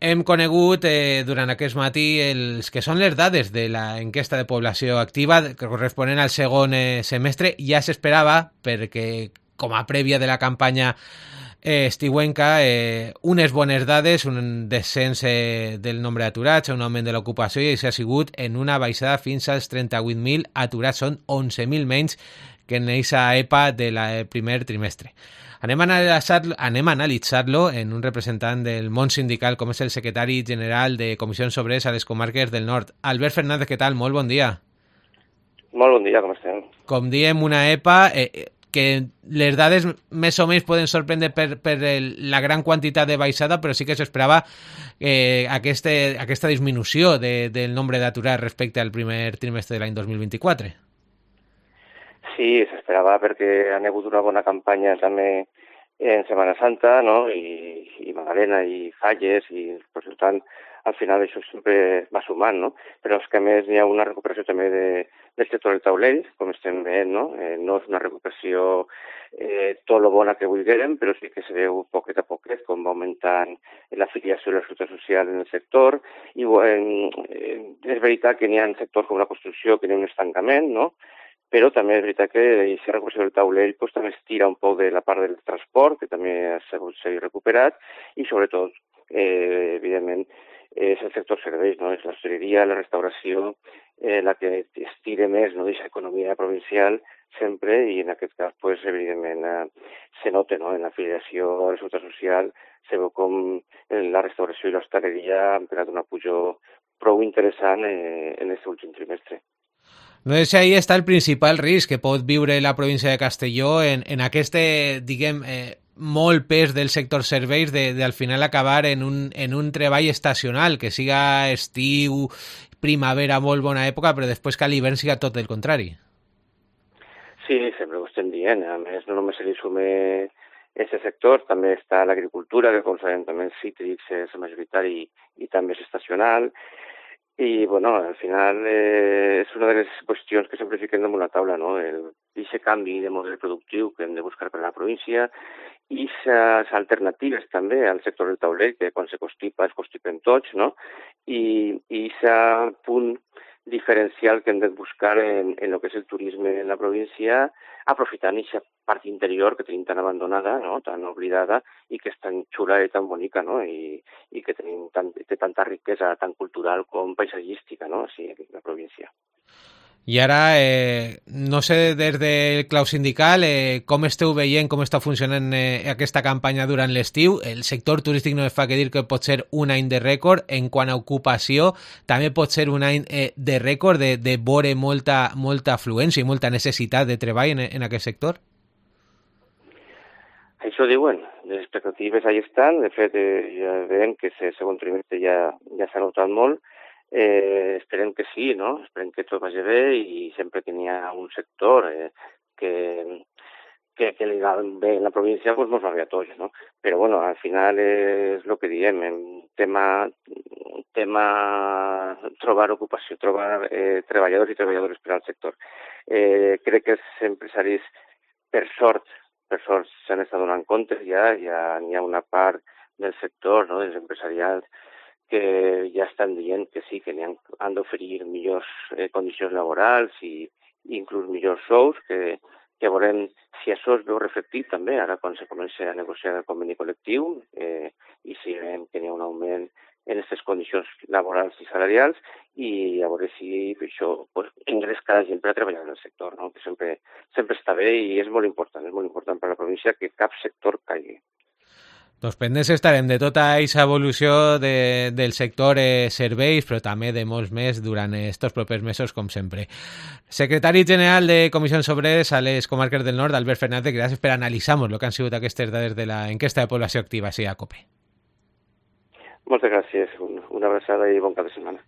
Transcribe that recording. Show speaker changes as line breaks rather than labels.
Hem conegut durant aquest matí els que són les dades de la enquesta de població activa corresponent al segon semestre. Ja s'esperava, perquè com a prèvia de la campanya estiuenca, unes bones dades, un descens del nombre d'aturats, un augment de l'ocupació, i això ha sigut en una baixada fins als 38.000 aturats. Són 11.000 menys que en aquesta EPA del primer trimestre. Anem a analitzar-lo en un representant del món sindical, com és el secretari general de Comissions Obreres a les comarques del nord. Albert Fernández, què tal? Molt bon dia.
Molt bon dia, com estem?
Com diem, una EPA que les dades més o menys poden sorprendre per la gran quantitat de baixada, però sí que s'esperava aquesta disminució del nombre d'aturats respecte al primer trimestre de l'any 2024.
Sí, s'esperava perquè han hagut una bona campanya també en Setmana Santa, no? I Magdalena i Falles, i per tant, al final això sempre va sumant, no? Però és que a més hi ha una recuperació també del sector del taulell, com estem veient, no? No és una recuperació tot lo bona que vulguem, però sí que se veu poquet a poquet com va augmentant l'afiliació i la seguretat social en el sector. I és veritat que n'hi ha sectors com la construcció que hi ha un estancament, no? Però també és veritat que aquesta recuperació del taulell pues, també es tira un poc de la part del transport, que també ha sigut recuperat, i sobretot, evidentment, és el sector serveis, no? És l'hostaleria, la restauració, la que es tira més, no? D'aquesta economia provincial sempre, i en aquest cas, pues, evidentment, se nota, no? En l'afiliació a la seguretat social, se veu com la restauració i l'hostaleria han pegat una pujo prou interessant en aquest últim trimestre.
No sé si ahí està el principal risc que pot viure la província de Castelló en aquest, diguem, molt pes del sector serveis de al final acabar en un treball estacional, que siga estiu, primavera, molt bona època, però després que a l'hivern siga tot el contrari.
Sí, sempre ho estem dient. A més, no només se li sume aquest sector, també està l'agricultura, que com sabem també els cítrics és majoritari i també és estacional. I, bueno, al final és una de les qüestions que sempre fiquem damunt la taula, no? Aquest canvi de model productiu que hem de buscar per a la província i les alternatives també al sector del taulell, que quan se constipa es constipen tots, no? I aquest punt diferencial que hem de buscar en el que és el turisme en la província, aprofitant aquesta part interior que tenim tan abandonada, no? Tan oblidada, i que és tan xula i tan bonica, no? I que té tanta riquesa tant cultural com paisatgística, no? Sí, aquí la província.
I ara, no sé, des del clau sindical, com esteu veient, com està funcionant aquesta campanya durant l'estiu? El sector turístic no es fa que dir que pot ser un any de rècord. En quant a ocupació, també pot ser un any de rècord de veure molta afluència i molta necessitat de treball en aquest sector?
Això diuen. Les expectatives ahí estan. De fet, ja veiem que el segon trimestre ja s'ha notat molt. Esperem que sí, no? Esperem que tot vagi bé, i sempre que n'hi ha un sector que li va bé en la província, doncs mos va bé a tots, no? Però, bueno, al final és el que diem, tema trobar ocupació, trobar treballadors i treballadores per al sector. Crec que els empresaris, per sort, s'han estat donant compte, ja n'hi ha una part del sector, no?, dels empresarials, que ja estan dient que sí, que han d'oferir millors condicions laborals i inclús millors sous, que veurem si això es veu reflectit també ara quan se comença a negociar el conveni col·lectiu, i si veiem que n'hi ha un augment en aquestes condicions laborals i salarials, i a veure si això engresca la gent per a treballar en el sector, no? Que sempre està bé, i és molt important per a la província que cap sector caigui.
Doncs pendents estarem de tota aquesta evolució del sector serveis, però també de molts més durant estos propers mesos, com sempre. Secretari general de Comissions Obreres a les comarques del nord, Albert Fernández, gràcies per analitzar el que han sigut aquestes dades de l'enquesta de població activa, sí, a COPE.
Moltes gràcies, una abraçada i bon cap de setmana.